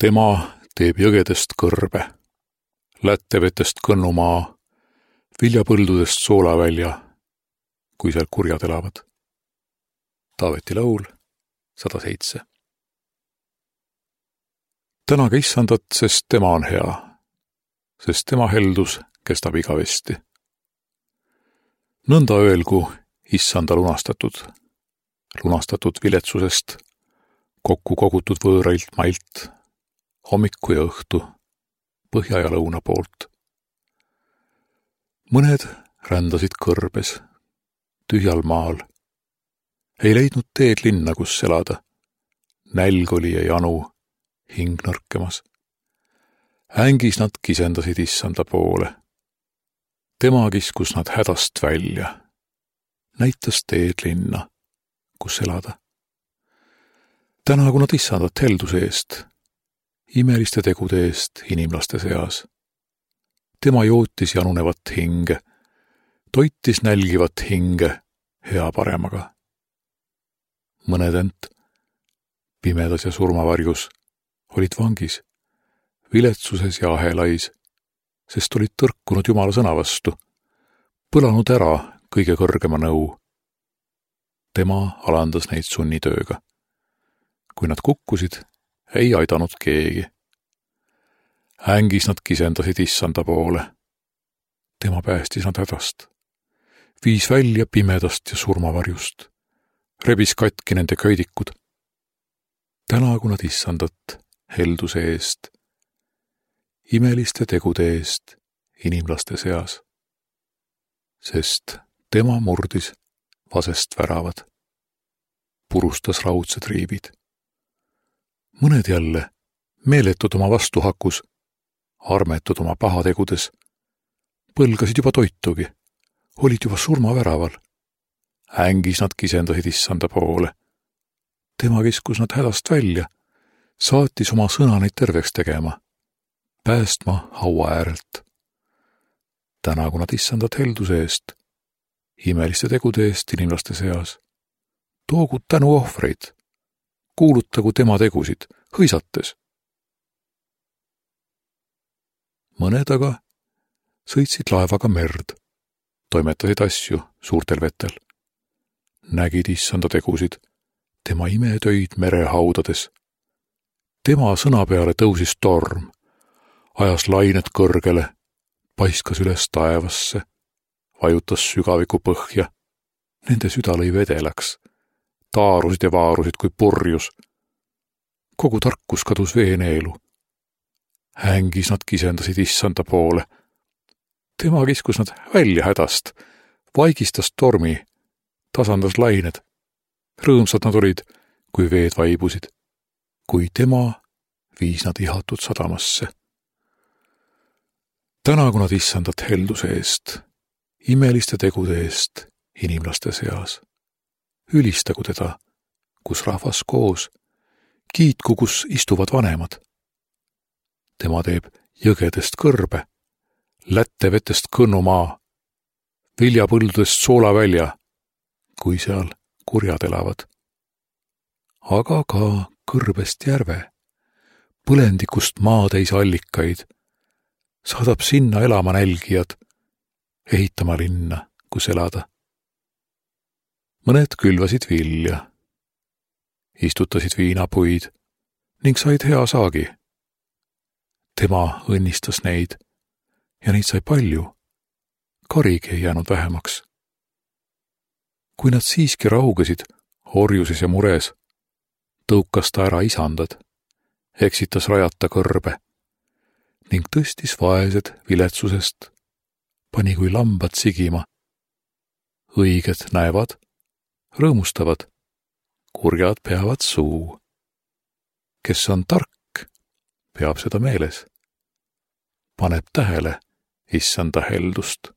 Tema teeb jõgedest kõrbe, lättevetest kõnnumaa, viljapõldudest soolavälja, kui seal kurjad elavad. Taaveti laul 107. Tänage issandat, sest tema on hea, sest tema heldus kestab igavesti. Nõnda öelgu issanda lunastatud viletsusest, kokku kogutud võõrailt mailt, hommiku ja õhtu, põhja ja lõuna poolt. Mõned rändasid kõrbes, tühjal maal, ei leidnud teed linna, kus elada. Nälg oli ja janu, hing nõrkemas. Ängis nad kisendasid issanda poole. Tema kiskus nad hädast välja, näitas teed linna, kus elada. Tänagu nad issandat helduse eest, imeliste tegude eest inimlaste seas. Tema jootis janunevat hinge, toitis nälgivat hinge hea paremaga. Mõned ent, pimedas ja surmavarjus, olid vangis, viletsuses ja ahelais, sest olid tõrkunud Jumala sõna vastu, põlanud ära kõige kõrgema nõu. Tema alandas neid sunnitööga. Kui nad kukkusid, ei aidanud keegi. Ängis nad kisendasid issanda poole. Tema päästis nad hädast. Viis välja pimedast ja surmavarjust. Rebis katki nende köidikud. Tänagu nad issandat helduse eest, imeliste tegude eest inimlaste seas. Sest tema murdis vasest väravad, purustas raudsed riivid. Mõned jälle, meeletud oma vastuhakus, armetud oma pahategudes, põlgasid juba toitugi, olid juba surmaväraval. Ängis nad kisendasid issanda poole. Tema kiskus nad hädast välja, saatis oma sõna neid terveks tegema, päästma haua äärelt. Tänagu nad issandat helduse eest, imeliste tegude eest inimlaste seas. Toogu tänu ohvreid, kuulutagu tema tegusid, hõisates. Mõned aga sõitsid laevaga merd, toimetasid asju suurtel vetel. Nägid issanda tegusid, tema imetöid merehaudades. Tema sõna peale tõusis torm, ajas lained kõrgele, paiskas üles taevasse, vajutas sügaviku põhja. Nende süda lõi vedelaks, taarusid ja vaarusid kui purjus. Kogu tarkus kadus veeneelu. Ängis nad kisendasid issanda poole. Tema kiskus nad välja hädast, vaigistas tormi, tasandas lained. Rõõmsad nad olid, kui veed vaibusid, kui tema viis nad ihatud sadamasse. Tänagu nad issandat helduse eest, imeliste tegude eest inimlaste seas. Ülistagu teda, kus rahvas koos, kiitku, kus istuvad vanemad. Tema teeb jõgedest kõrbe, lättevetest kõnnumaa, viljapõldudest soolavälja, kui seal kurjad elavad. Aga ka kõrbest järve, põlendikust maatäis allikaid, saadab sinna elama nälgijad, ehitama linna, kus elada. Mõned külvasid vilja, istutasid viinapuid ning said hea saagi. Tema õnnistas neid ja neid sai palju, karigi ei jäänud vähemaks. Kui nad siiski raugesid orjuses ja mures, tõukas ta ära isandad, eksitas rajata kõrbe ning tõstis vaesed viletsusest, pani kui lambad sigima. Õiged näevad, rõõmustavad, kurjad peavad suu. Kes on tark, peab seda meeles, paneb tähele issanda heldust.